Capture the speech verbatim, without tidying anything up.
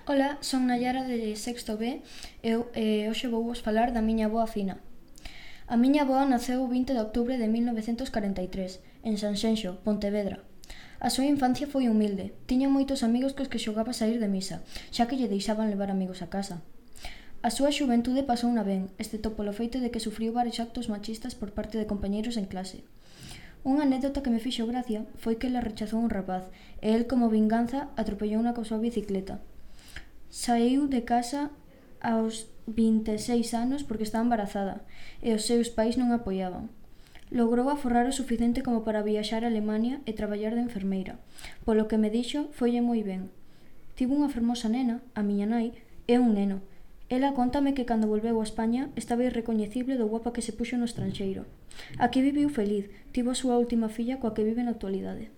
Ola, son Nayara de sexto B e eh, hoxe vou vos falar da miña avoa Fina. A miña avoa naceu o vinte de outubro de mil novecentos corenta e tres, en Sanxenxo, Pontevedra. A súa infancia foi humilde, tiña moitos amigos cos que xogaba a saír de misa, xa que lle deixaban levar amigos a casa. A súa xuventude pasouna ben, excepto polo feito de que sufriu varios actos machistas por parte de compañeiros en clase. Unha anécdota que me fixo gracia foi que ela rechazou un rapaz e el, como vinganza, atropellouna coa súa bicicleta. Saíu de casa aos vinte e seis anos porque estaba embarazada e os seus pais non a apoiaban. Logrou aforrar o suficiente como para viaxar a Alemania e traballar de enfermeira. Polo que me dixo, foille moi ben. Tivo unha fermosa nena, a miña nai, e un neno. Ela contame que cando volveu a España estaba irrecoñecible do guapa que se puxo no estranxeiro. Aquí viviu feliz, tivo a súa última filla coa que vive na actualidade.